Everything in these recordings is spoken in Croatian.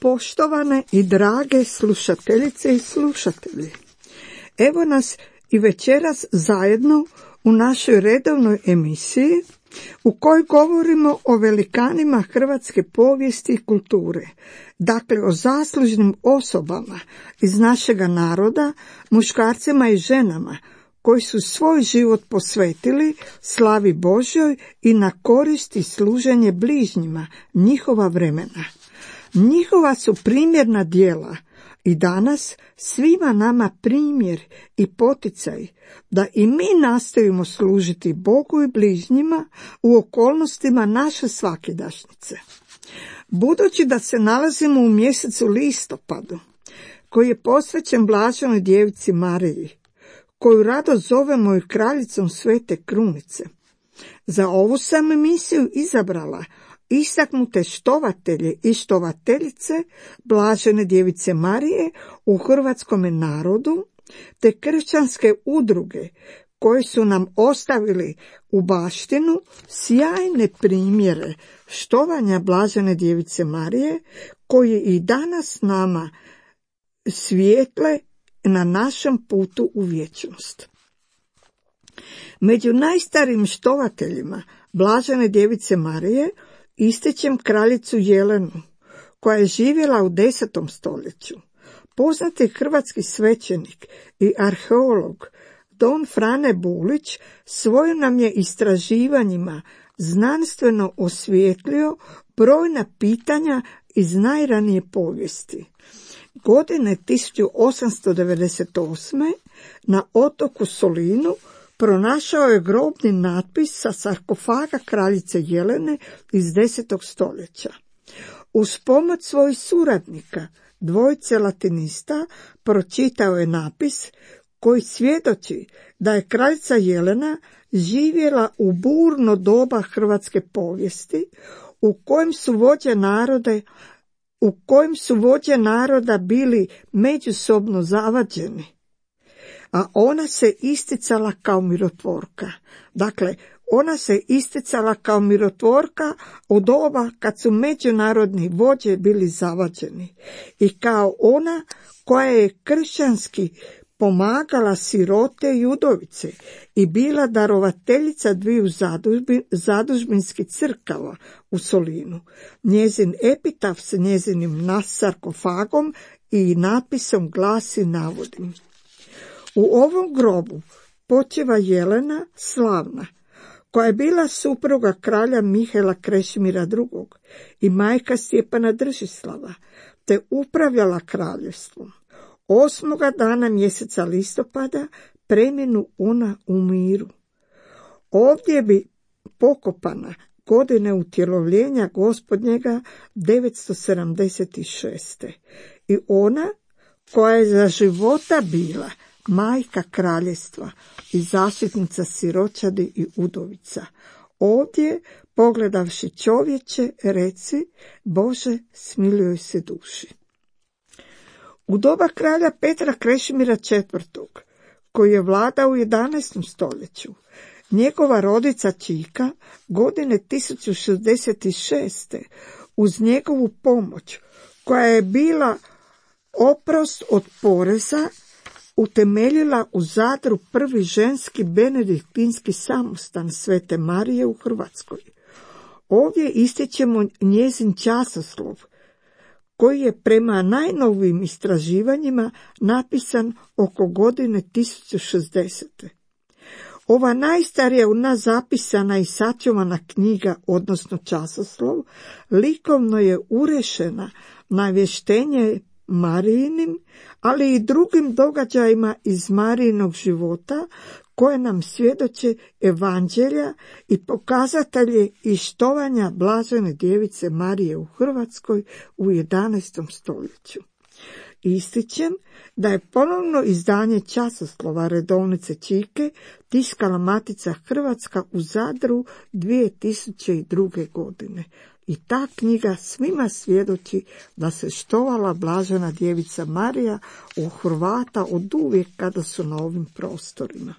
Poštovane i drage slušateljice i slušatelji, evo nas i večeras zajedno u našoj redovnoj emisiji u kojoj govorimo o velikanima hrvatske povijesti i kulture, dakle o zaslužnim osobama iz našega naroda, muškarcima i ženama koji su svoj život posvetili slavi Božjoj i na korist i služenje bližnjima njihova vremena. Njihova su primjerna djela i danas svima nama primjer i poticaj da i mi nastojimo služiti Bogu i bližnjima u okolnostima naše svakidašnjice. Budući da se nalazimo u mjesecu listopadu, koji je posvećen Blaženoj djevici Mariji, koju rado zovemo i kraljicom Svete Krunice, za ovu sam emisiju izabrala istaknute štovatelje i štovateljice Blažene djevice Marije u hrvatskome narodu, te kršćanske udruge koje su nam ostavili u baštinu sjajne primjere štovanja Blažene djevice Marije, koje i danas nama svijetle na našem putu u vječnost. Među najstarijim štovateljima Blažene djevice Marije ističem kraljicu Jelenu, koja je živjela u 10. stoljeću. Poznati hrvatski svećenik i arheolog Don Frane Bulić svojim nam je istraživanjima znanstveno osvijetlio brojna pitanja iz najranije povijesti. Godine 1898. na otoku Solinu pronašao je grobni natpis sa sarkofaga kraljice Jelene iz 10. stoljeća. Uz pomoć svojih suradnika, dvojice latinista, pročitao je napis koji svjedoči da je kraljica Jelena živjela u burno doba hrvatske povijesti, u kojem su vođe naroda bili međusobno zavađeni, a ona se isticala kao mirotvorka. Dakle, ona se isticala kao mirotvorka u doba kad su međunarodni vođe bili zavađeni i kao ona koja je kršćanski pomagala sirote i udovice i bila darovateljica dviju zadužbinskih crkava u Solinu. Njezin epitaf s njezinim sarkofagom i napisom glasi, navodim: u ovom grobu počiva Jelena slavna, koja je bila supruga kralja Mihajla Krešimira II. I majka Stjepana Držislava, te upravljala kraljevstvom. 8. dana mjeseca listopada preminu ona u miru. Ovdje bi pokopana godine utjelovljenja Gospodnjega 976. I ona koja je za života bila majka kraljevstva i zaštitnica siročadi i udovica. Ovdje, pogledavši čovječe, reci: Bože, smiluj se duši. U doba kralja Petra Krešimira IV, koji je vladao u 11. stoljeću, njegova rodica Čika godine 1066. uz njegovu pomoć, koja je bila oprost od poreza, utemeljila u Zadru prvi ženski benediktinski samostan Svete Marije u Hrvatskoj. Ovdje ističemo njezin časoslov, koji je prema najnovijim istraživanjima napisan oko godine 1060. Ova najstarija u nas zapisana i sačuvana knjiga, odnosno časoslov, likovno je urešena na vještenje Marijinim, ali i drugim događajima iz Marijinog života, koje nam svjedoče evanđelja i pokazatelje i štovanja Blažene djevice Marije u Hrvatskoj u 11. stoljeću. Ističem da je ponovno izdanje časoslova redovnice Čike tiskala Matica Hrvatska u Zadru 2002. godine. I ta knjiga svima svjedoči da se štovala Blažena djevica Marija u Hrvata od uvijek kada su na ovim prostorima.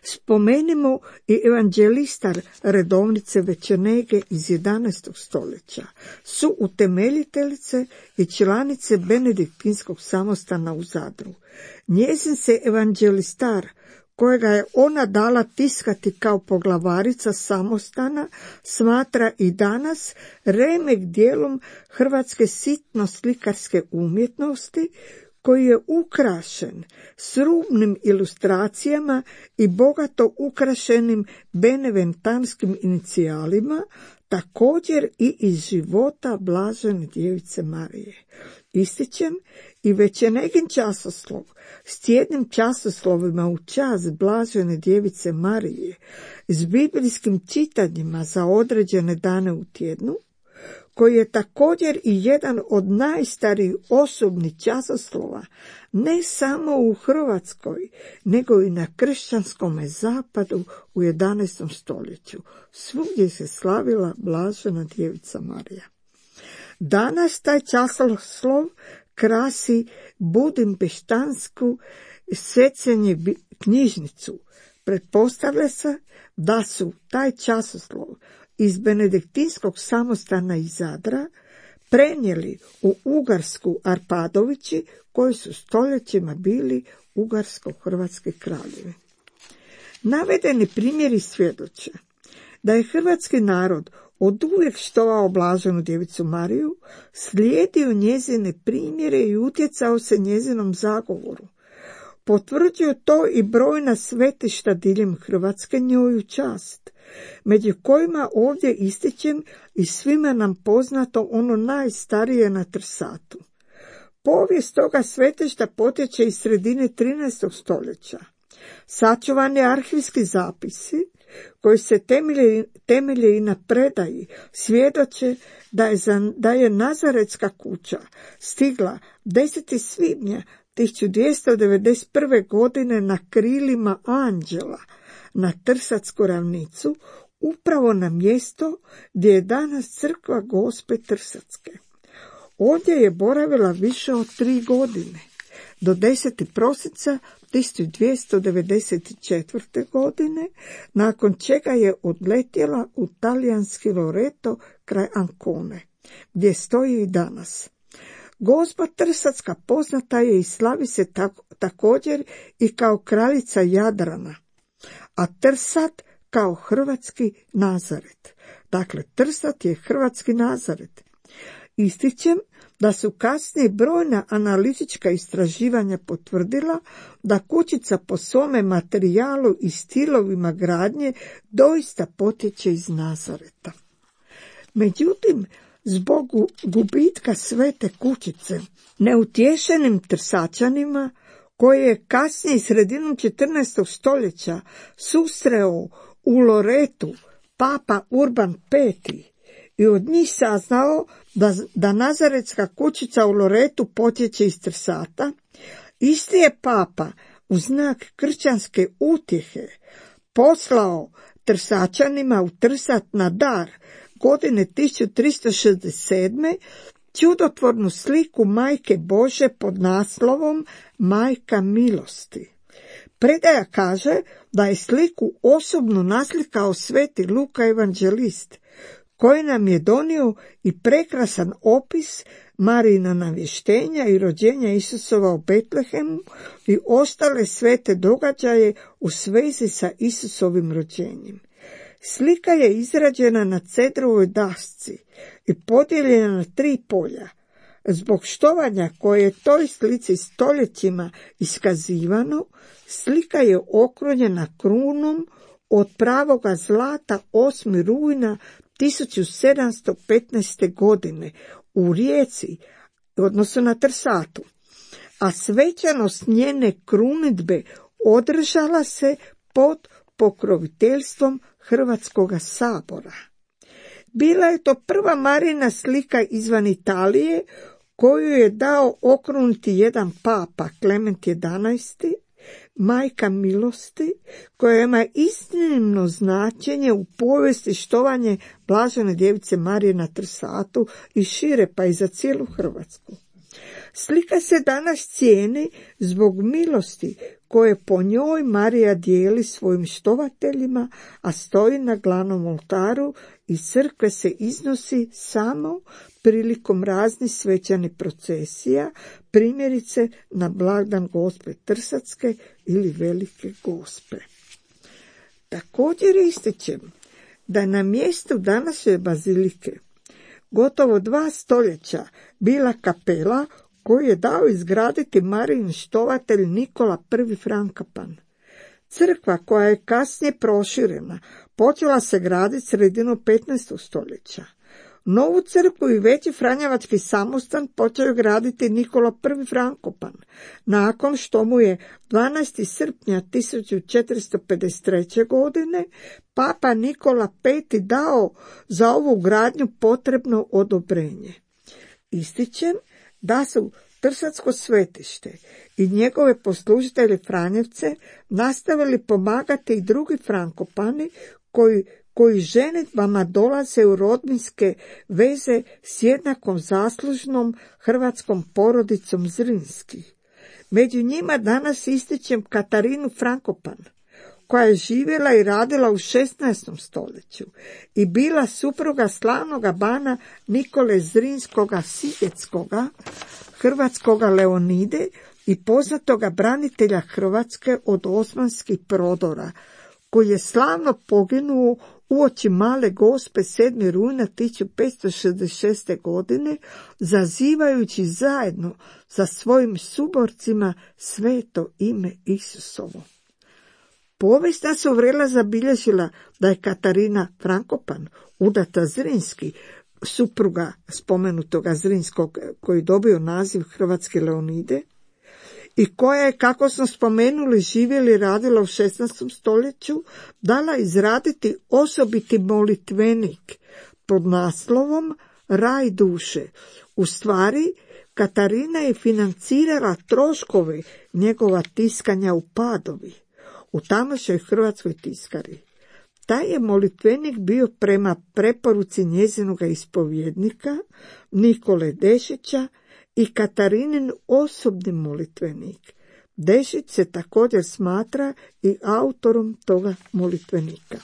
Spomenimo i evanđelistar redovnice Večernege iz 11. stoljeća, su utemeljiteljice i članice benediktinskog samostana u Zadru. Njezin se evanđelistar, kojega je ona dala tiskati kao poglavarica samostana, smatra i danas remek dijelom hrvatske sitno-slikarske umjetnosti, koji je ukrašen s rubnim ilustracijama i bogato ukrašenim beneventanskim inicijalima, također i iz života blažene djevice Marije. Ističem i Večernegin časoslov s tjednim časoslovima u čast blažene djevice Marije, s biblijskim čitanjima za određene dane u tjednu, koji je također i jedan od najstarijih osobnih časoslova, ne samo u Hrvatskoj, nego i na kršćanskome zapadu u 11. stoljeću. Svugdje se slavila blažena djevica Marija. Danas taj časoslov krasi budimpeštansku Svecenje knjižnicu. Pretpostavlja se da su taj časoslov iz benediktinskog samostana iz Zadra prenijeli u Ugarsku Arpadovići, koji su stoljećima bili ugarsko-hrvatski kraljevi. Navedeni primjeri svjedoče da je hrvatski narod oduvijek štovao blaženu djevicu Mariju, slijedio njezine primjere i utjecao se njezinom zagovoru. Potvrđuju to i brojna svetišta diljem Hrvatske njoj u čast, među kojima ovdje ističem i svima nam poznato ono najstarije na Trsatu. Povijest toga svetišta potječe iz sredine 13. stoljeća. Sačuvani arhivski zapisi, koji se temelje i na predaji, svjedoče da je Nazaretska kuća stigla 10. svibnja 1291. godine na krilima anđela na Trsatsku ravnicu, upravo na mjesto gdje je danas crkva Gospe Trsatske. Ovdje je boravila više od 3 godine, do 10. prosinca 1294. godine, nakon čega je odletjela u talijanski Loreto kraj Ancone, gdje stoji i danas. Gospa Trsatska poznata je i slavi se također i kao kraljica Jadrana, a Trsat kao hrvatski Nazaret. Dakle, Trsat je hrvatski Nazaret. Ističem da su kasnije brojna analitička istraživanja potvrdila da kućica po svome materijalu i stilovima gradnje doista potječe iz Nazareta. Međutim, zbog gubitka svete kućice, neutješenim Trsačanima, koje je kasnije sredinom 14. stoljeća susreo u Loretu papa Urban V i od njih saznao da Nazaretska kućica u Loretu potječe iz Trsata, isti je papa u znak kršćanske utjehe poslao Trsačanima u Trsat na dar godine 1367. čudotvornu sliku Majke Bože pod naslovom Majka milosti. Predaja kaže da je sliku osobno naslikao sveti Luka evanđelist, koji nam je donio i prekrasan opis Marijina navještenja i rođenja Isusova u Betlehemu i ostale svete događaje u svezi sa Isusovim rođenjem. Slika je izrađena na cedrovoj dasci i podijeljena na 3 polja. Zbog štovanja koje je toj slici stoljećima iskazivano, slika je okrunjena krunom od pravoga zlata 8. rujna 1715. godine u Rijeci, odnosno na Trsatu, a svečanost njene krunidbe održala se pod pokroviteljstvom Hrvatskoga sabora. Bila je to prva Marijina slika izvan Italije, koju je dao okruniti jedan papa, Klement XI, Majka milosti, koja ima iznimno značenje u povijesti štovanje blažene djevice Marije na Trsatu i šire, pa i za cijelu Hrvatsku. Slika se danas cijeni zbog milosti koje po njoj Marija dijeli svojim štovateljima, a stoji na glavnom oltaru i crkve se iznosi samo prilikom raznih svečanih procesija, primjerice na blagdan Gospe Trsatske ili Velike Gospe. Također ističem da na mjestu današnje bazilike gotovo 2 stoljeća bila kapela koju je dao izgraditi Marijin štovatelj Nikola I. Frankopan. Crkva koja je kasnije proširena počela se graditi sredinom 15. stoljeća. Novu crkvu i veći franjevački samostan počeo graditi Nikola I. Frankopan, nakon što mu je 12. srpnja 1453. godine papa Nikola V. dao za ovu gradnju potrebno odobrenje. Ističem da su Trsatsko svetište i njegove poslužitelje Franjevce nastavili pomagati i drugi Frankopani koji ženidbama dolaze u rodbinske veze s jednakom zaslužnom hrvatskom porodicom Zrinskih. Među njima danas ističem Katarinu Frankopan, koja je živjela i radila u 16. stoljeću i bila supruga slavnoga bana Nikole Zrinskoga Sigetskoga, hrvatskoga Leonide i poznatoga branitelja Hrvatske od osmanskih prodora, koji je slavno poginuo uoči Male Gospe 7. rujna 1566. godine, zazivajući zajedno sa svojim suborcima sveto ime Isusovo. Povijest nas uvrela zabilježila da je Katarina Frankopan, udata Zrinski, supruga spomenutoga Zrinskog koji je dobio naziv Hrvatske Leonide, i koja je, kako smo spomenuli, živjela i radila u 16. stoljeću, dala izraditi osobiti molitvenik pod naslovom Raj duše. U stvari, Katarina je financirala troškove njegova tiskanja u Padovi, u tamošnjoj hrvatskoj tiskari. Taj je molitvenik bio prema preporuci njezinoga ispovjednika Nikole Dešića i Katarinin osobni molitvenik. Dešić se također smatra i autorom toga molitvenika.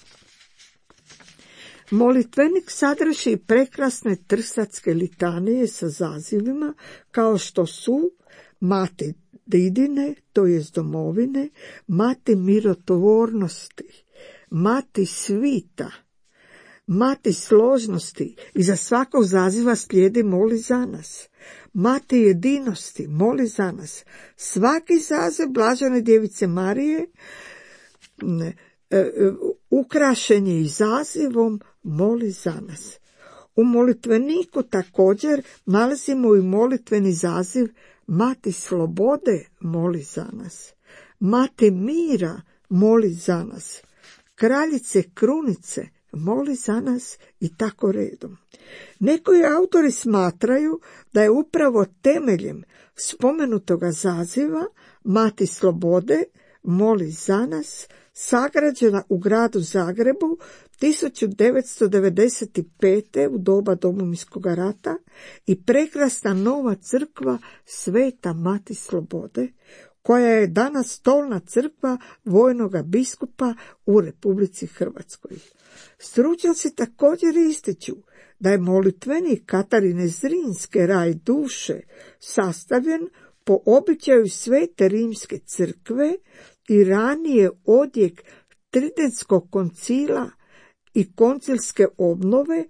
Molitvenik sadrži prekrasne trsatske litanije sa zazivima kao što su Mati Didine, to jest domovine, Mati mirotvornosti, Mati svita, Mati složnosti, i za svakog zaziva slijedi moli za nas. Mati jedinosti, moli za nas. Svaki zaziv Blažene djevice Marije ukrašen je i zazivom moli za nas. U molitveniku također nalazimo i molitveni zaziv Mati slobode, moli za nas. Mati mira, moli za nas. Kraljice krunice, moli za nas, i tako redom. Neki autori smatraju da je upravo temeljem spomenutoga zaziva Mati slobode, moli za nas, sagrađena u gradu Zagrebu 1995. u doba Domovinskog rata i prekrasna nova crkva Sveta Mati slobode, koja je danas stolna crkva vojnoga biskupa u Republici Hrvatskoj. Stručnjaci također ističu da je molitvenik Katarine Zrinske Raj duše sastavljen po običaju Svete Rimske crkve i ranije odjek Tridentskog koncila i koncilske obnove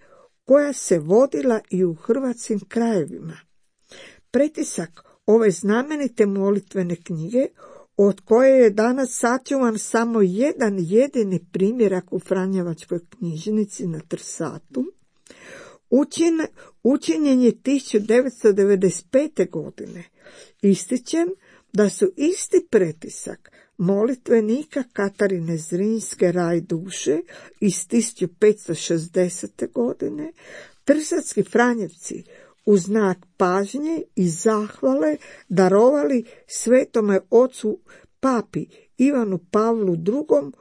koja se vodila i u hrvatskim krajevima. Pretisak ove znamenite molitvene knjige, od koje je danas sačuvan samo jedan jedini primjerak u Franjevačkoj knjižnici na Trsatu, učinjen je 1995. godine. Ističem da su isti pretisak molitvenika Katarine Zrinske Raj duše iz 1560. godine trsatski Franjevci u znak pažnje i zahvale darovali svetome ocu papi Ivanu Pavlu II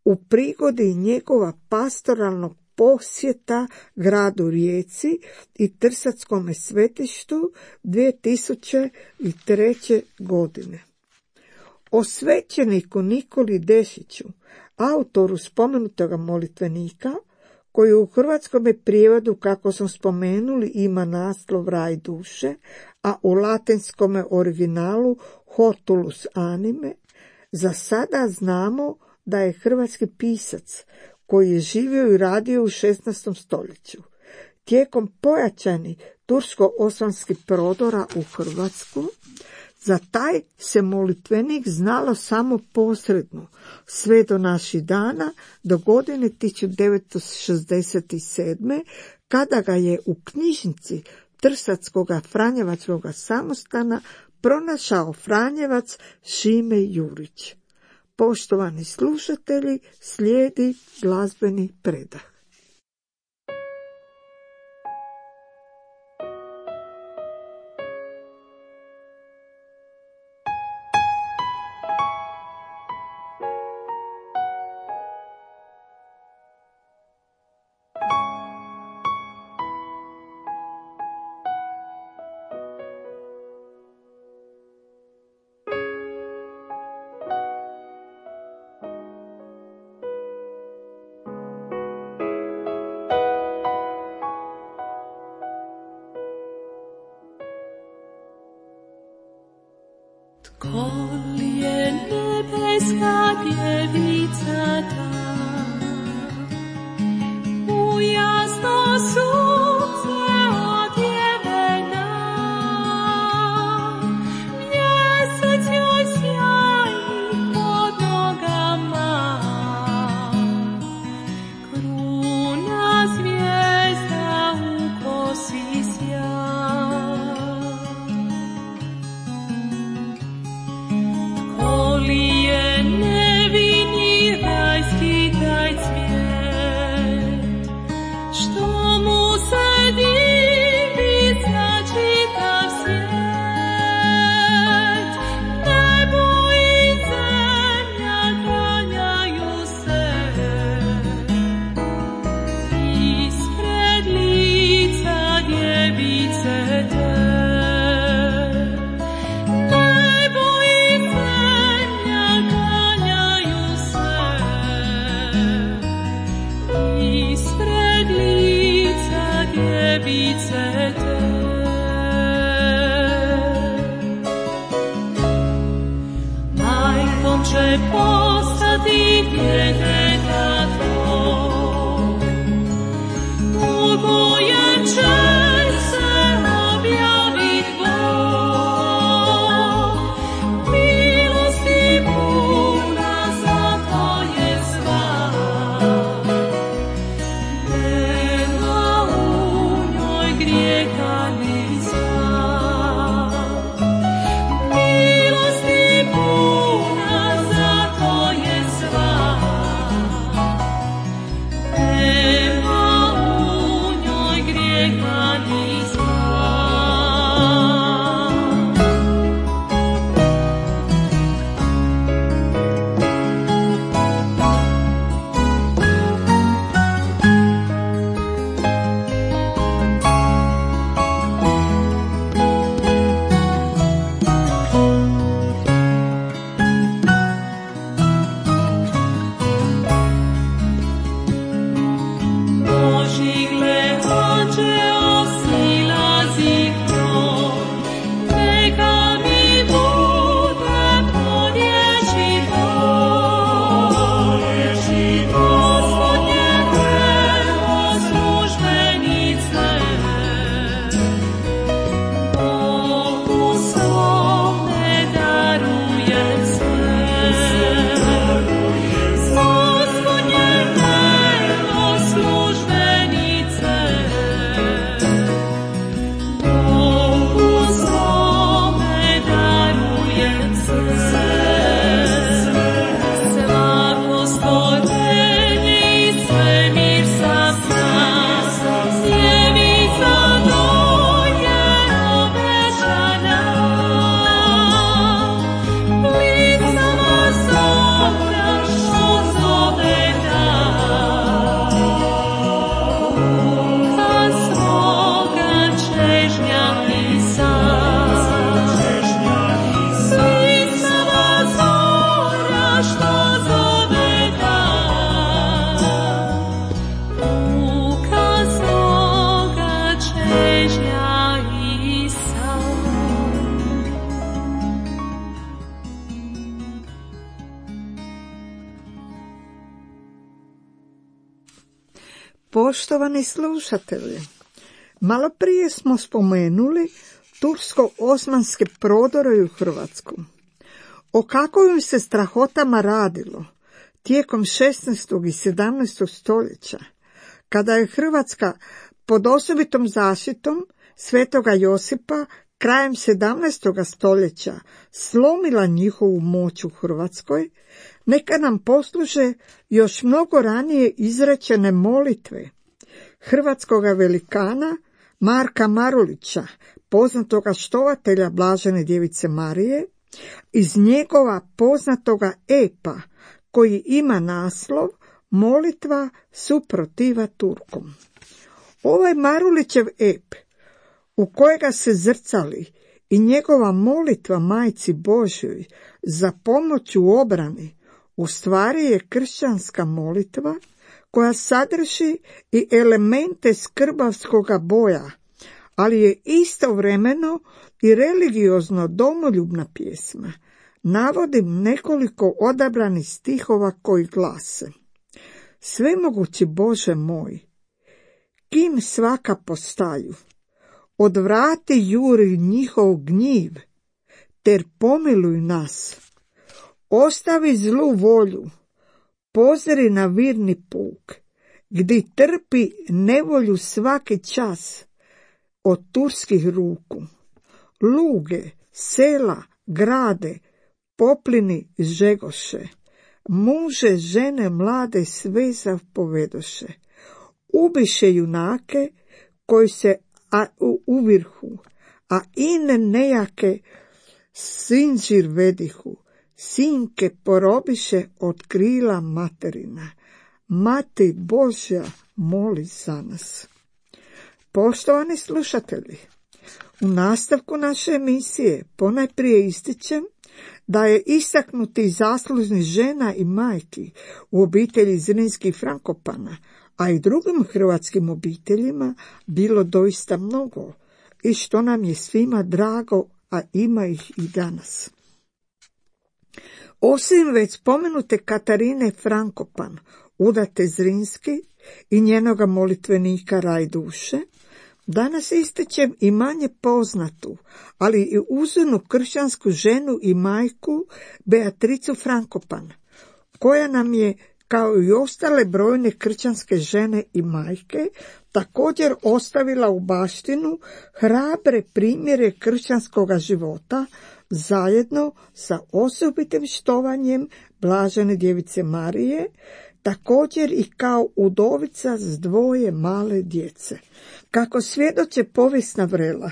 u prigodi njegova pastoralnog posjeta gradu Rijeci i Trsatskome svetištu 2003. godine. O svećeniku Nikoli Dešiću, autoru spomenutog molitvenika, koji u hrvatskom prijevodu, kako smo spomenuli, ima naslov Raj duše, a u latinskom originalu Hortulus anime, za sada znamo da je hrvatski pisac koji je živio i radio u 16. stoljeću. Tijekom pojačanih tursko-osmanskih prodora u Hrvatsku, za taj se molitvenik znalo samo posredno, sve do naših dana, do godine 1967. kada ga je u knjižnici Trsatskog Franjevačkog samostana pronašao Franjevac Šime Jurić. Poštovani slušatelji, slijedi glazbeni predah. Tko li je nebeska djevica ta, u jasno sunce odjevena, mjesec joj sjaji pod nogama, kruna zvijezda u kosi sja. Majkom će postati djeteta tvoj, u kojem će se objavit Bog, milosti puna za tvoje sva, nema u njoj grijeha ni zla. Milosti puna za tvoje sva, Poštovani slušatelji, malo prije smo spomenuli tursko-osmanske prodore u Hrvatsku. O kakvim se strahotama radilo tijekom 16. i 17. stoljeća, kada je Hrvatska pod osobitom zaštitom Svetoga Josipa krajem 17. stoljeća slomila njihovu moć u Hrvatskoj, neka nam posluže još mnogo ranije izrečene molitve hrvatskoga velikana Marka Marulića, poznatoga štovatelja Blažene djevice Marije, iz njegova poznatoga epa koji ima naslov Molitva suprotiva Turkom. Ovaj Marulićev ep, u kojega se zrcali i njegova molitva Majci Božjoj za pomoć u obrani, u stvari je kršćanska molitva koja sadrži i elemente skrbavskoga boja, ali je istovremeno i religiozno domoljubna pjesma. Navodim nekoliko odabranih stihova koji glase: Svemogući Bože moj, kim svaka postaju, odvrati juri njihov gnjiv, ter pomiluj nas. Ostavi zlu volju, pozri na virni puk, gdje trpi nevolju svaki čas od turskih ruku. Luge, sela, grade, poplini žegoše, muže, žene, mlade sve zapovedoše. Ubiše junake koji se uvirhu, a ine nejake sinđir vedihu. Sinke porobiše od krila materina. Mati Božja, moli za nas. Poštovani slušatelji, u nastavku naše emisije ponajprije ističem da je istaknuti zaslužni žena i majki u obitelji Zrinskih Frankopana, a i drugim hrvatskim obiteljima bilo doista mnogo i što nam je svima drago, a ima ih i danas. Osim već spomenute Katarine Frankopan, udate Zrinski i njenoga molitvenika Raj duše, danas ističem i manje poznatu, ali i uzornu kršćansku ženu i majku Beatricu Frankopan, koja nam je, kao i ostale brojne kršćanske žene i majke, također ostavila u baštinu hrabre primjere kršćanskoga života, zajedno sa osobitim štovanjem Blažene djevice Marije, također i kao udovica s 2 male djece. Kako svjedoče povijesna vrela,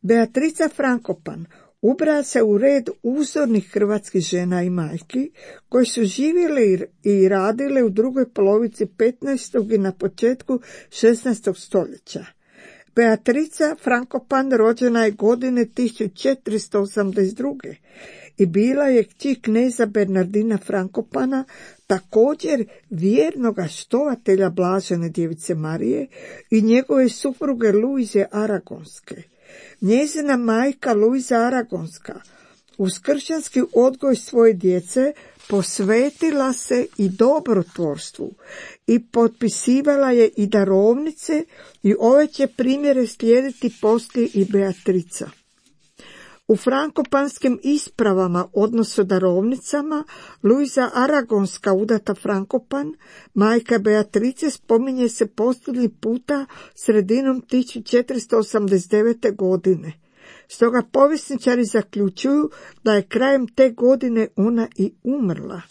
Beatrica Frankopan ubraja se u red uzornih hrvatskih žena i majki koji su živjele i radile u drugoj polovici 15. i na početku 16. stoljeća. Beatrica Frankopan rođena je godine 1482. i bila je kći kneza Bernardina Frankopana, također vjernoga štovatelja Blažene djevice Marije i njegove supruge Luize Aragonske. Njezina majka Luiza Aragonska uz kršćanski odgoj svoje djece posvetila se i dobrotvorstvu i potpisivala je i darovnice, i ove će primjere slijediti poslije i Beatrica. U frankopanskim ispravama, odnosno darovnicama, Luiza Aragonska, udata Frankopan, majka Beatrice, spominje se posljednji puta sredinom 1489. godine. Stoga povjesničari zaključuju da je krajem te godine ona i umrla.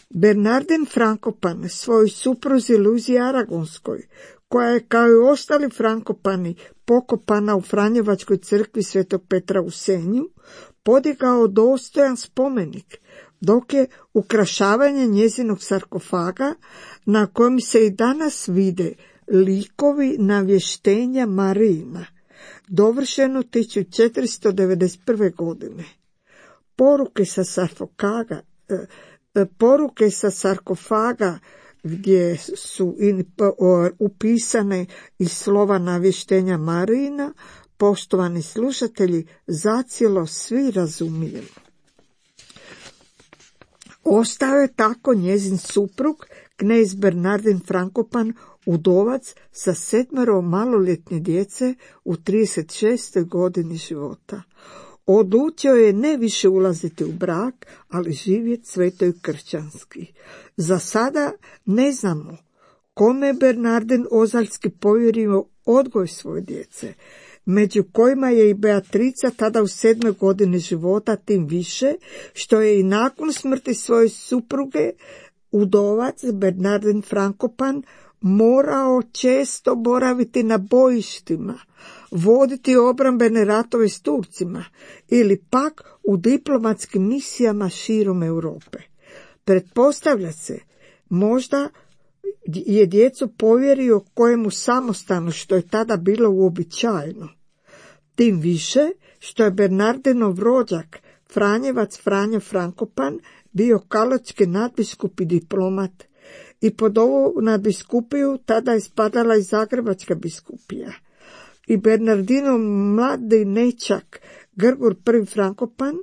Bernardin Frankopan svojoj supruzi Luizi Aragonskoj, koja je kao i ostali Frankopani pokopana u Franjevačkoj crkvi Svetog Petra u Senju, podigao dostojan spomenik, dok je ukrašavanje njezinog sarkofaga, na kojem se i danas vide likovi navještenja Marijina, dovršeno 1491. godine. Poruke sa sarkofaga gdje su upisane i slova navještenja Marijina, poštovani slušatelji, zacijelo svi razumijemo. Ostao je tako njezin suprug knez Bernardin Frankopan, udovac sa 7 maloljetne djece u 36. godini života. Odlučio je ne više ulaziti u brak, ali živjeti sveto i kršćanski. Za sada ne znamo kome je Bernardin Ozaljski povjerio odgoj svoje djece, među kojima je i Beatrica tada u 7. godini života, tim više što je i nakon smrti svoje supruge udovac Bernardin Frankopan morao često boraviti na bojištima, voditi obrambene ratove s Turcima ili pak u diplomatskim misijama širom Europe. Pretpostavlja se, možda je djecu povjerio kojemu samostanu, što je tada bilo uobičajeno. Tim više što je Bernardinov rođak, Franjevac Franjo Frankopan, bio kaločki nadbiskup i diplomat, i pod ovu nadbiskupiju tada je spadala i Zagrebačka biskupija. I Bernardinov mladi nečak Grgur I Frankopan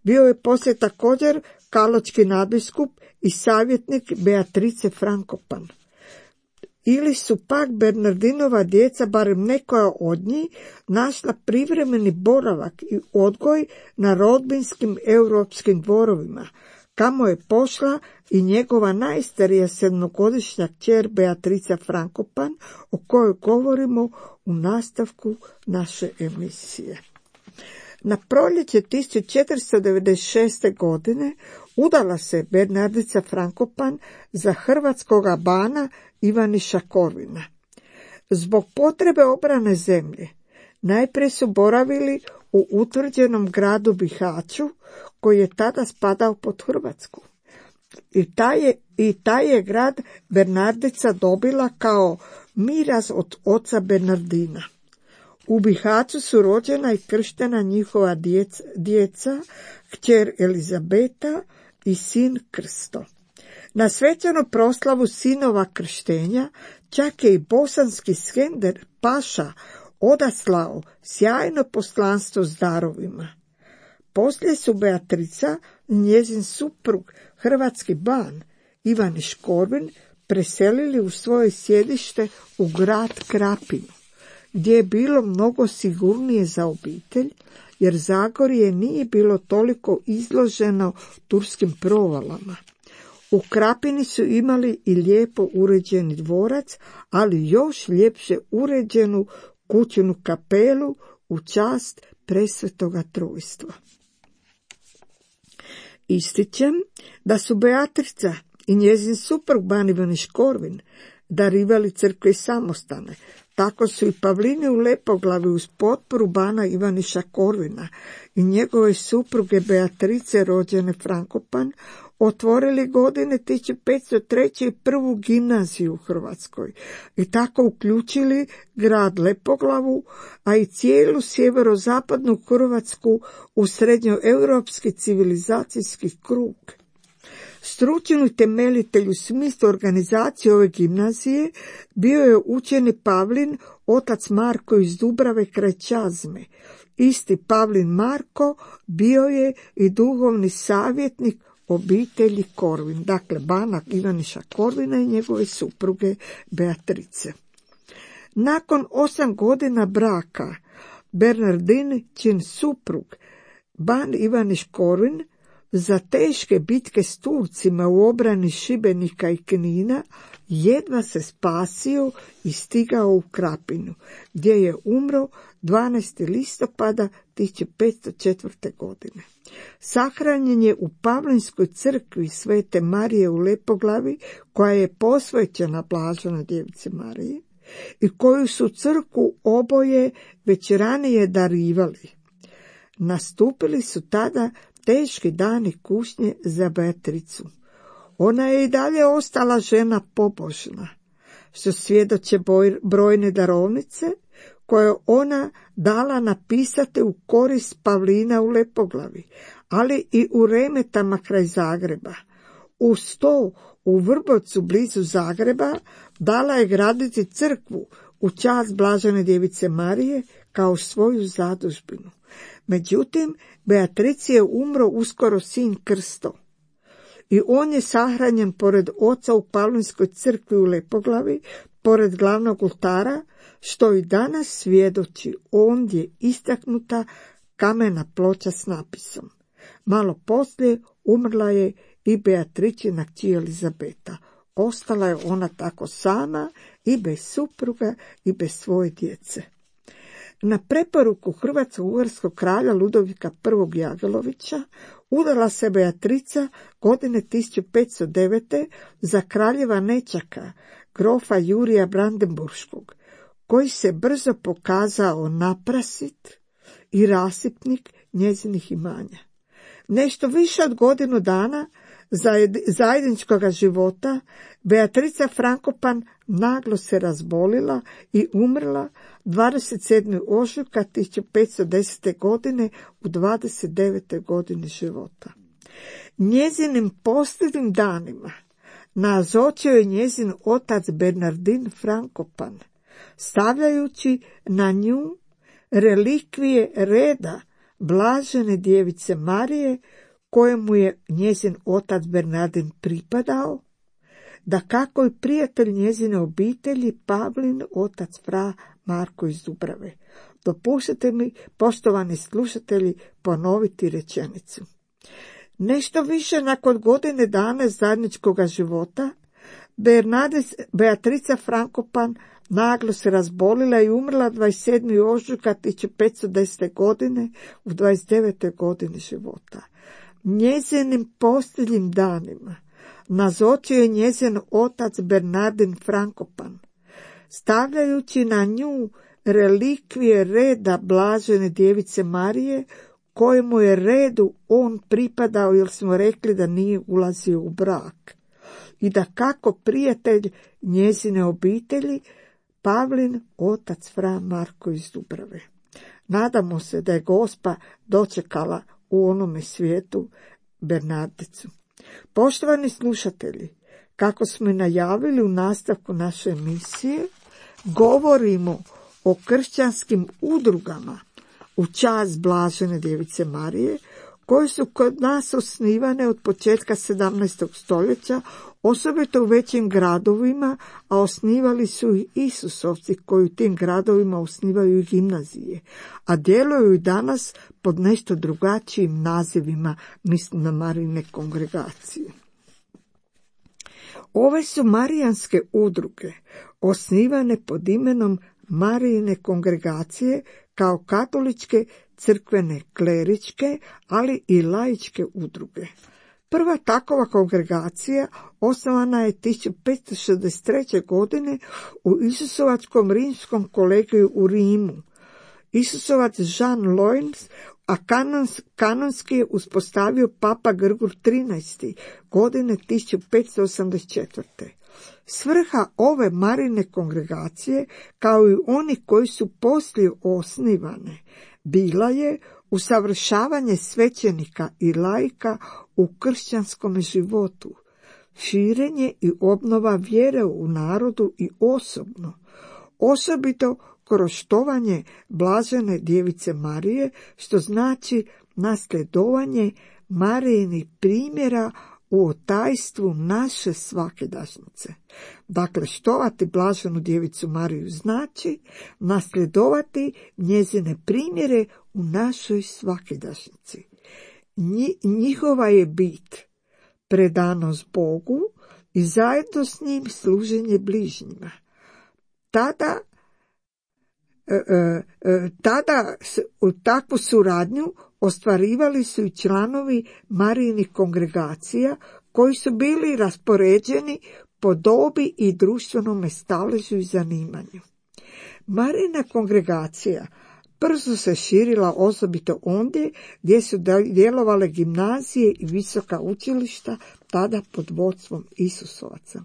bio je poslije također kaločki nadbiskup i savjetnik Beatrice Frankopan. Ili su pak Bernardinova djeca, barem nekoja od njih, našla privremeni boravak i odgoj na rodbinskim europskim dvorovima, kamo je pošla i njegova najstarija 7-godišnja kćer Beatrica Frankopan, o kojoj govorimo u nastavku naše emisije. Na proljeće 1496. godine udala se Bernardica Frankopan za hrvatskoga bana Ivaniša Korvina. Zbog potrebe obrane zemlje najprije su boravili u utvrđenom gradu Bihaću, koji je tada spadao pod Hrvatsku. I taj je grad Bernardica dobila kao miraz od oca Bernardina. U Bihaću su rođena i krštena njihova djeca, kćer Elizabeta i sin Krsto. Na svečanu proslavu sinova krštenja čak je i bosanski Skender Paša odaslao sjajno poslanstvo s darovima. Poslije su Beatrica i njezin suprug, hrvatski ban Ivaniš Korvin, preselili u svoje sjedište u grad Krapinu, gdje je bilo mnogo sigurnije za obitelj, jer Zagorje nije bilo toliko izloženo turskim provalama. U Krapini su imali i lijepo uređeni dvorac, ali još ljepše uređenu kućnu kapelu u čast Presvetoga Trojstva. Ističem da su Beatrica i njezin suprug ban Ivaniš Korvin darivali crkve i samostane. Tako su i Pavlini u Lepoglavi uz potporu bana Ivaniša Korvina i njegove supruge Beatrice rođene Frankopan otvorili godine 1503. prvu gimnaziju u Hrvatskoj i tako uključili grad Lepoglavu, a i cijelu sjeverozapadnu Hrvatsku u srednjoeuropski civilizacijski krug. Stručni temeljitelj u smislu organizacije ove gimnazije bio je učeni Pavlin, otac Marko iz Dubrave kraj Čazme. Isti Pavlin Marko bio je i duhovni savjetnik obitelji Korvin, dakle bana Ivaniša Korvina i njegove supruge Beatrice. Nakon 8 godina braka Bernardiničin suprug ban Ivaniš Korvin za teške bitke s Turcima u obrani Šibenika i Knina jedva se spasio i stigao u Krapinu, gdje je umro 12. listopada 1504. godine. Sahranjen je u Pavlinskoj crkvi Svete Marije u Lepoglavi, koja je posvećena Blaženoj Djevici Mariji i koju su crkvu oboje već ranije darivali. Nastupili su tada teški dani kušnje za Beatricu. Ona je i dalje ostala žena pobožna, što svjedoče brojne darovnice koje ona dala napisati u korist Pavlina u Lepoglavi, ali i u Remetama kraj Zagreba. Uz to u Vrbovcu blizu Zagreba dala je graditi crkvu u čast Blažene Djevice Marije kao svoju zadužbinu. Međutim, Beatrici je umro uskoro sin Krsto. i on je sahranjen pored oca u Pavlinskoj crkvi u Lepoglavi, pored glavnog oltara, što i danas svjedoči ondje istaknuta kamena ploča s napisom. Malo poslije umrla je i Beatričina kći Elizabeta. Ostala je ona tako sama i bez supruga i bez svoje djece. Na preporuku hrvatsko-ugarskog kralja Ludovika I. Jagelovića udala se Beatrica godine 1509. za kraljeva nećaka, grofa Jurija Brandenburškog, koji se brzo pokazao naprasit i rasipnik njezinih imanja. Nešto više od godinu dana zajedničkoga života Beatrica Frankopan naglo se razbolila i umrla 27. ožujka 1510. godine u 29. godini života. Njezinim posljednjim danima nazočio je njezin otac Bernardin Frankopan, stavljajući na nju relikvije reda blažene djevice Marije, kojemu je njezin otac Bernardin pripadao, dakako i prijatelj njezine obitelji Pavlin, otac fra Marko iz Dubrave. Dopustite mi, poštovani slušatelji, ponoviti rečenicu. Nešto više nakon godine dana zajedničkoga života, Beatrica Frankopan naglo se razbolila i umrla 27. ožujka 1510. godine u 29. godini života. Njezinim posljednjim danima nazočio je njezin otac Bernardin Frankopan, stavljajući na nju relikvije reda blažene djevice Marije, kojemu je redu on pripadao, jer smo rekli da nije ulazio u brak, i dakako prijatelj njezine obitelji Pavlin, otac fra Marko iz Dubrave. Nadamo se da je Gospa dočekala u onome svijetu Bernardicu. Poštovani slušatelji, kako smo i najavili u nastavku naše emisije, govorimo o kršćanskim udrugama u čast blažene djevice Marije, koje su kod nas osnivane od početka 17. stoljeća, osobito u većim gradovima, a osnivali su i Isusovci koji u tim gradovima osnivaju i gimnazije, a djeluju i danas pod nešto drugačijim nazivima, mislim na Marijine kongregacije. Ove su marijanske udruge osnivane pod imenom Marijine kongregacije kao katoličke crkvene kleričke, ali i laičke udruge. Prva takova kongregacija osnovana je 1563. godine u Isusovačkom rimskom kolegiju u Rimu. Isusovac Jean Loyns, a kanonski je uspostavio Papa Grgur XIII. Godine 1584. Svrha ove Marijine kongregacije, kao i oni koji su poslije osnivane, bila je usavršavanje svećenika i laika u kršćanskom životu, širenje i obnova vjere u narodu i osobno, osobito kroz štovanje blažene djevice Marije, što znači nasljedovanje Marijinih primjera u otajstvu naše svakidašnjice. Dakle, štovati blaženu djevicu Mariju znači nasljedovati njezine primjere u našoj svakidašnjici. Njihova je bit predanost Bogu i zajedno s njim služenje bližnjima. Tada u takvu suradnju ostvarivali su i članovi Marijinih kongregacija, koji su bili raspoređeni po dobi i društvenome staležu i zanimanju. Marijina kongregacija brzo se širila, osobito ondje gdje su djelovale gimnazije i visoka učilišta, tada pod vodstvom Isusovaca.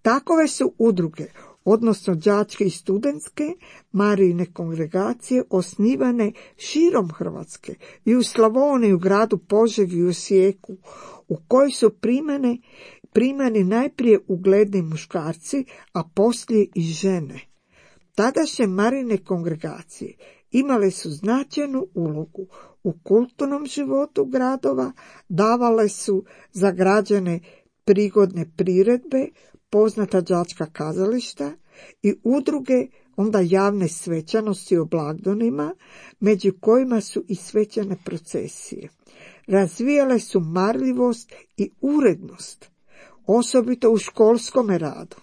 Takove su udruge, odnosno đačke i studentske Marijine kongregacije, osnivane širom Hrvatske i u Slavoniji, u gradu Požegi i u Osijeku, u kojoj su primani najprije ugledni muškarci, a poslije i žene. Tadašnje Marijine kongregacije imale su značajnu ulogu U kulturnom životu gradova davale su za građane prigodne priredbe, poznata đačka kazališta i udruge, onda javne svečanosti o blagdanima, među kojima su i svečane procesije. Razvijale su marljivost i urednost, osobito u školskom radu,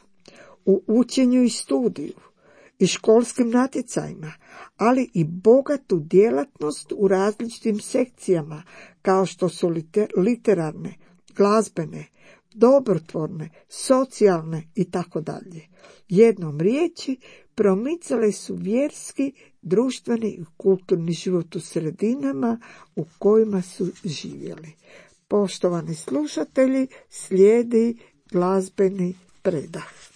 u učenju i studiju i školskim natjecajima, ali i bogatu djelatnost u različitim sekcijama, kao što su literarne, glazbene, dobrotvorne, socijalne i tako dalje. Jednom riječi, promicale su vjerski, društveni i kulturni život u sredinama u kojima su živjeli. Poštovani slušatelji, slijedi glazbeni predah.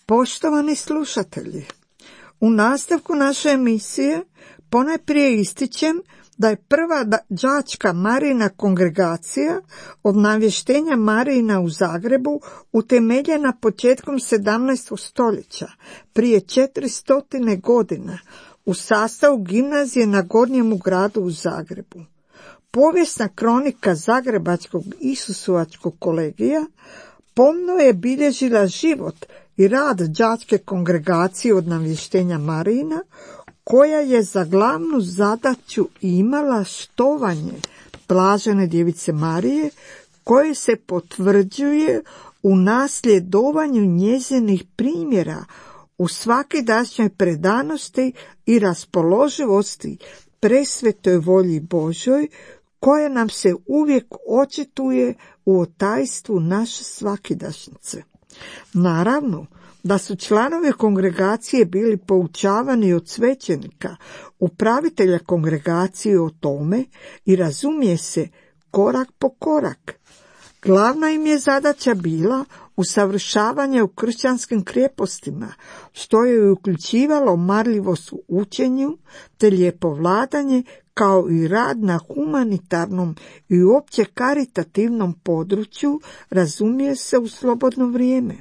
Poštovani slušatelji, U nastavku naše emisije ponajprije ističem da je prva đačka Marijina kongregacija od navještenja Marijina u Zagrebu utemeljena početkom 17. stoljeća, prije 400 godina, u sastavu gimnazije na Gornjemu gradu u Zagrebu. Povijesna kronika Zagrebačkog Isusovačkog kolegija pomno je bilježila život i rad đačke kongregacije od navještenja Marijina, koja je za glavnu zadaću imala štovanje blažene djevice Marije, koje se potvrđuje u nasljedovanju njezinih primjera u svakidašnjoj predanosti i raspoloživosti presvetoj volji Božoj, koja nam se uvijek očituje u otajstvu naše svakidašnjice. Naravno da su članovi kongregacije bili poučavani od svećenika, upravitelja kongregacije o tome i razumije se korak po korak. Glavna im je zadaća bila usavršavanje u kršćanskim krepostima, što je uključivalo marljivost u učenju te lijepovladanje, kao i rad na humanitarnom i uopće karitativnom području, razumije se u slobodno vrijeme.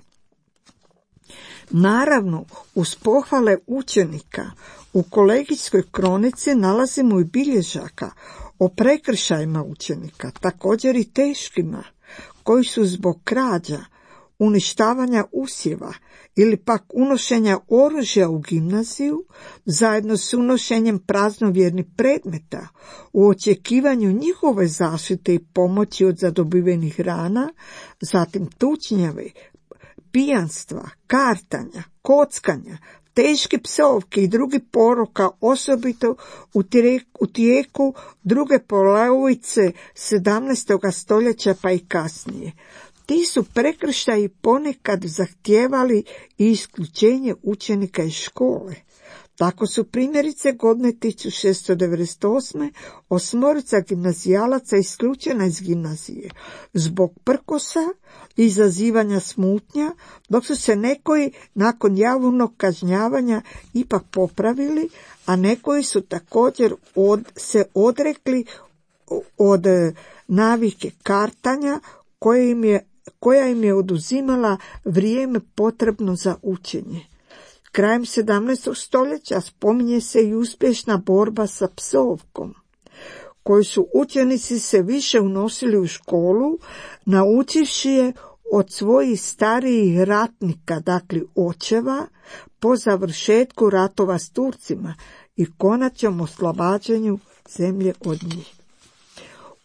Naravno, uz pohvale učenika, u kolegijskoj kronici nalazimo i bilježaka o prekršajima učenika, također i teškima, koji su zbog krađa, uništavanja usjeva ili pak unošenja oružja u gimnaziju, zajedno s unošenjem praznovjernih predmeta, u očekivanju njihove zaštite i pomoći od zadobivenih rana, zatim tučnjave, pijanstva, kartanja, kockanja, teške psovke i drugi poroka, osobito u tijeku druge polovice 17. stoljeća pa i kasnije. Ti su prekršaji ponekad zahtijevali i isključenje učenika iz škole. Tako su primjerice godine 1698. 8 gimnazijalaca isključena iz gimnazije zbog prkosa i izazivanja smutnja, dok su se nekoji nakon javnog kažnjavanja ipak popravili, a nekoji su također se odrekli od navike kartanja koja im je oduzimala vrijeme potrebno za učenje. Krajem 17. stoljeća spominje se i uspješna borba sa psovkom, koju su učenici se više unosili u školu, naučivši je od svojih starijih ratnika, dakle očeva, po završetku ratova s Turcima i konačnom oslobađanju zemlje od njih.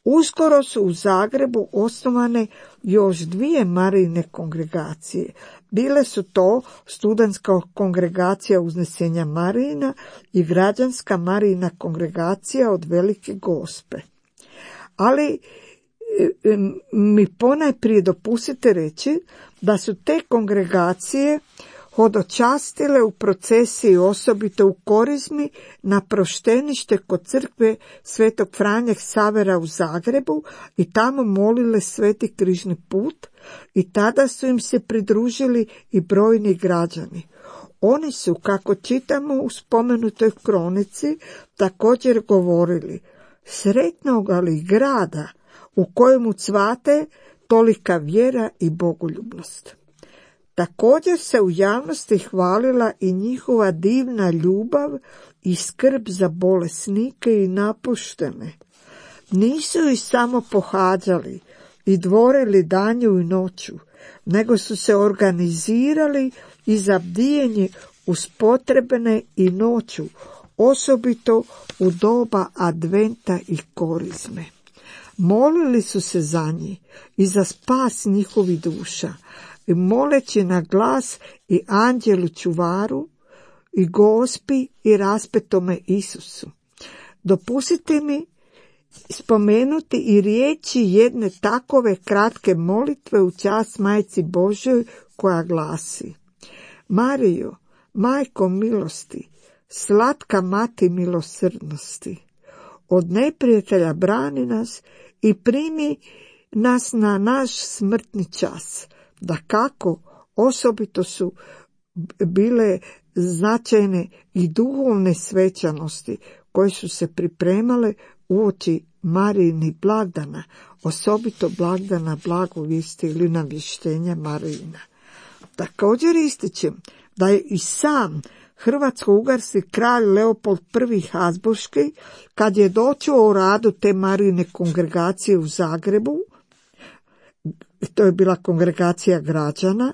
Uskoro su u Zagrebu osnovane još 2 Marijine kongregacije. Bile su to studentska kongregacija Uznesenja Marijina i građanska Marijina kongregacija od Velike Gospe. Ali mi ponajprije dopustite reći da su te kongregacije hodočastile u procesiji, osobito u Korizmi, na proštenište kod crkve Svetog Franje Ksavera u Zagrebu i tamo molile Sveti križni put, i tada su im se pridružili i brojni građani. Oni su, kako čitamo u spomenutoj kronici, također govorili: sretnoga li grada u kojemu cvate tolika vjera i bogoljubnost. Također se u javnosti hvalila i njihova divna ljubav i skrb za bolesnike i napuštene. Nisu ih samo pohađali i dvorili danju i noću, nego su se organizirali i za bdijenje uz potrebne i noću, osobito u doba adventa i korizme. Molili su se za njih i za spas njihovih duša, i moleći na glas i anđelu čuvaru, i Gospi i raspetome Isusu. Dopustite mi spomenuti i riječi jedne takove kratke molitve u čast Majci Božoj, koja glasi: Marijo, majko milosti, slatka mati milosrdnosti, od neprijatelja brani nas i primi nas na naš smrtni čas. Dakako, osobito su bile značajne i duhovne svečanosti koje su se pripremale uoči Marijinih blagdana, osobito blagdana blagovijesti ili navještenja Marijina. Također ističem da je i sam hrvatsko-ugarski kralj Leopold I Habsburški, kad je dočuo o radu te Marijine kongregacije u Zagrebu, to je bila kongregacija građana,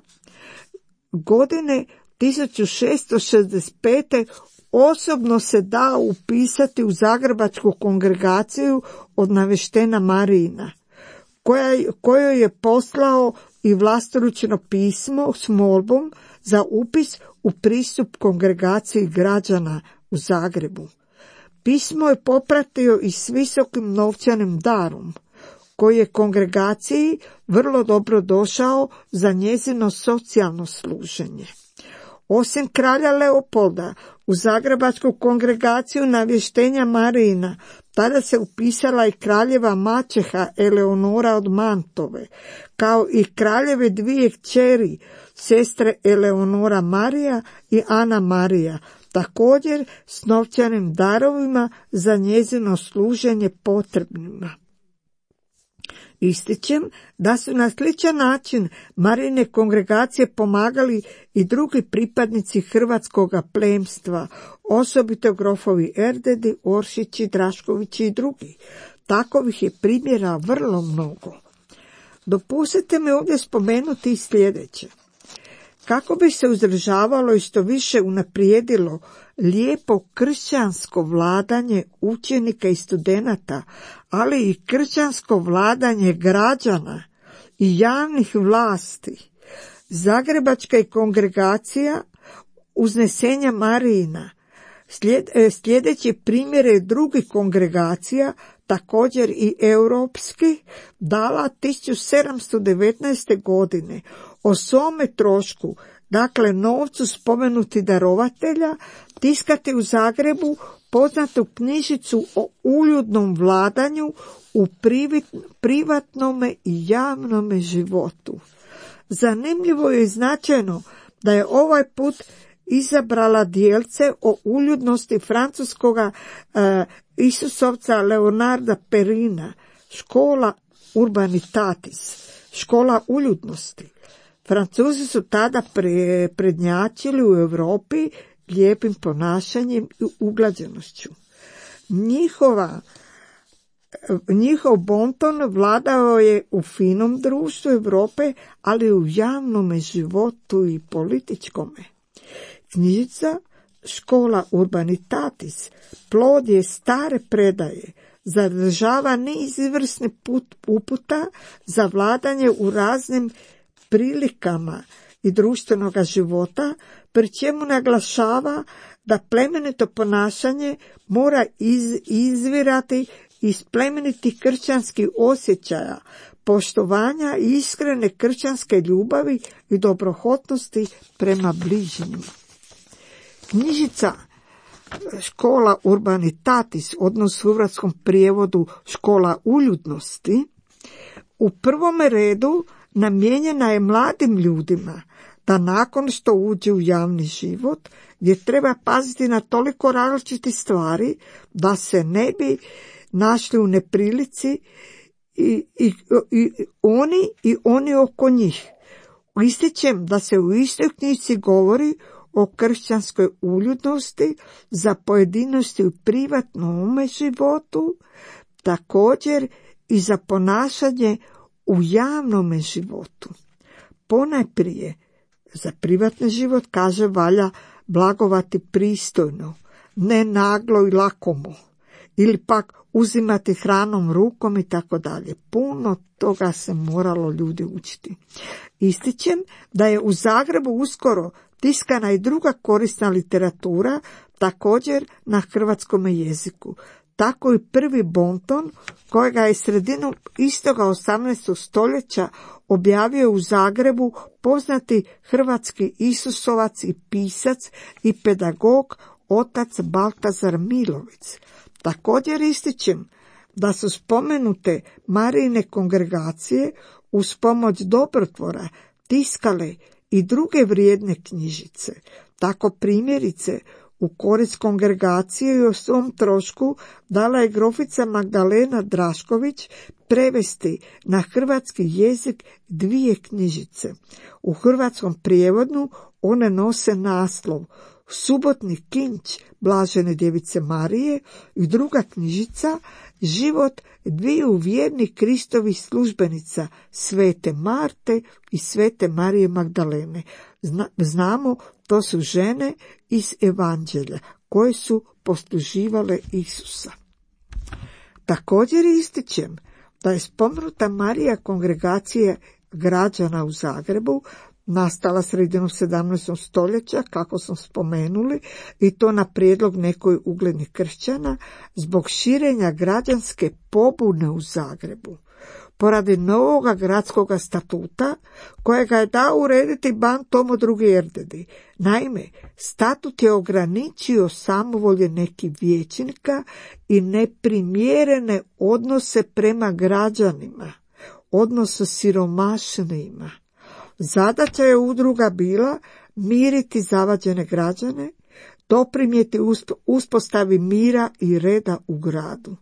godine 1665. osobno se dao upisati u Zagrebačku kongregaciju od naveštena Marijina, kojoj je poslao i vlastoručno pismo s molbom za upis u pristup kongregaciji građana u Zagrebu. Pismo je popratio i s visokim novčanim darom, koji je kongregaciji vrlo dobro došao za njezino socijalno služenje. Osim kralja Leopolda, u Zagrebačku kongregaciju navještenja Marijina tada se upisala i kraljeva maćeha Eleonora od Mantove, kao i kraljeve dvije kćeri, sestre Eleonora Marija i Ana Marija, također s novčanim darovima za njezino služenje potrebnima. Ističem da su na sličan način Marijine kongregacije pomagali i drugi pripadnici hrvatskoga plemstva, osobito grofovi Erdedi, Oršići, Draškovići i drugi. Takovih je primjera vrlo mnogo. Dopustite mi ovdje spomenuti i sljedeće. Kako bi se uzdržavalo i što više unaprijedilo lijepo kršćansko vladanje učenika i studenata, ali i kršćansko vladanje građana i javnih vlasti, Zagrebačka je kongregacija Uznesenja Marijina, sljedeći primjere drugih kongregacija, također i europski, dala 1719. godine o svome trošku, dakle novcu spomenuti darovatelja, tiskati u Zagrebu poznatu knjižicu o uljudnom vladanju u privatnome i javnome životu. Zanimljivo je i značajno da je ovaj put izabrala dijelce o uljudnosti francuskoga Isusovca Leonarda Perrina, škola Urbanitatis, škola uljudnosti. Francuzi su tada prednjačili u Europi lijepim ponašanjem i uglađenošću. Njihov bonton vladao je u finom društvu Europe, ali u javnome životu i političkome. Knjižica Škola Urbanitatis plod je stare predaje, zadržava niz izvrsnih uputa za vladanje u raznim prilikama i društvenog života, pri čemu naglašava da plemenito ponašanje mora izvirati iz plemenitih kršćanskih osjećaja, poštovanja i iskrene kršćanske ljubavi i dobrohotnosti prema bližnjima. Knjižica Škola Urbanitatis, odnosno u hrvatskom prijevodu Škola uljudnosti, u prvome redu namijenjena je mladim ljudima da nakon što uđe u javni život, gdje treba paziti na toliko različitih stvari da se ne bi našli u neprilici i oni oko njih. Ističem da se u istoj knjižici govori o kršćanskoj uljudnosti za pojedinosti u privatnom životu, također i za ponašanje u javnom životu. Ponajprije za privatni život, kaže, valja blagovati pristojno, ne naglo i lakomo, ili pak uzimati hranom rukom i tako dalje. Puno toga se moralo ljudi učiti. Ističem da je u Zagrebu uskoro tiskana i druga korisna literatura, također na hrvatskom jeziku. Tako i prvi bonton, kojega je sredinom istoga 18. stoljeća objavio u Zagrebu poznati hrvatski Isusovac i pisac i pedagog otac Baltazar Milovic. Također ističem da su spomenute Marijine kongregacije uz pomoć dobrotvora tiskale i druge vrijedne knjižice. Tako primjerice u korist kongregacije i o svom trošku dala je grofica Magdalena Drašković prevesti na hrvatski jezik 2 knjižice. U hrvatskom prijevodu one nose naslov Subotni kinč Blažene djevice Marije i druga knjižica Život 2 vjernih Kristovih službenica, Svete Marte i Svete Marije Magdalene. Znamo, to su žene iz Evanđelja koje su posluživale Isusa. Također ističem da je spomenuta Marija kongregacija građana u Zagrebu nastala sredinom 17. stoljeća, kako smo spomenuli, i to na prijedlog nekoj uglednih kršćana zbog širenja građanske pobune u Zagrebu. Poradi novoga gradskog statuta, kojega je dao urediti ban Tomo II. Erdedi. Naime, statut je ograničio samovolje nekih vijećnika i neprimjerene odnose prema građanima, odnose siromašnima. Zadaća je udruga bila miriti zavađene građane, doprinijeti uspostavi mira i reda u gradu,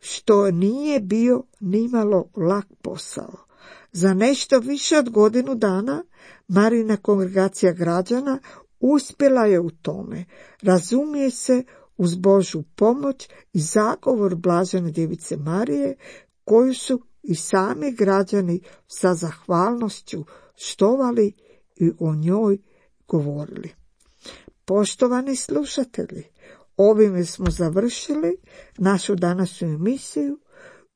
što nije bio nimalo lak posao. Za nešto više od godinu dana Marijina kongregacija građana uspjela je u tome, razumije se, uz Božju pomoć i zagovor Blažene djevice Marije, koju su i sami građani sa zahvalnošću štovali i o njoj govorili. Poštovani slušatelji, ovime smo završili našu današnju emisiju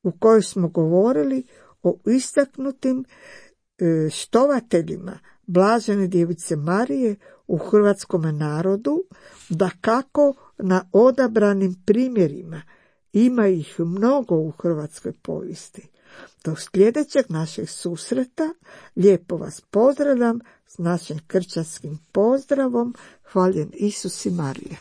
u kojoj smo govorili o istaknutim štovateljima Blažene djevice Marije u hrvatskom narodu, dakako na odabranim primjerima. Ima ih mnogo u hrvatskoj povijesti. Do sljedećeg našeg susreta lijepo vas pozdravljam s našim kršćanskim pozdravom. Hvaljen Isus i Marija.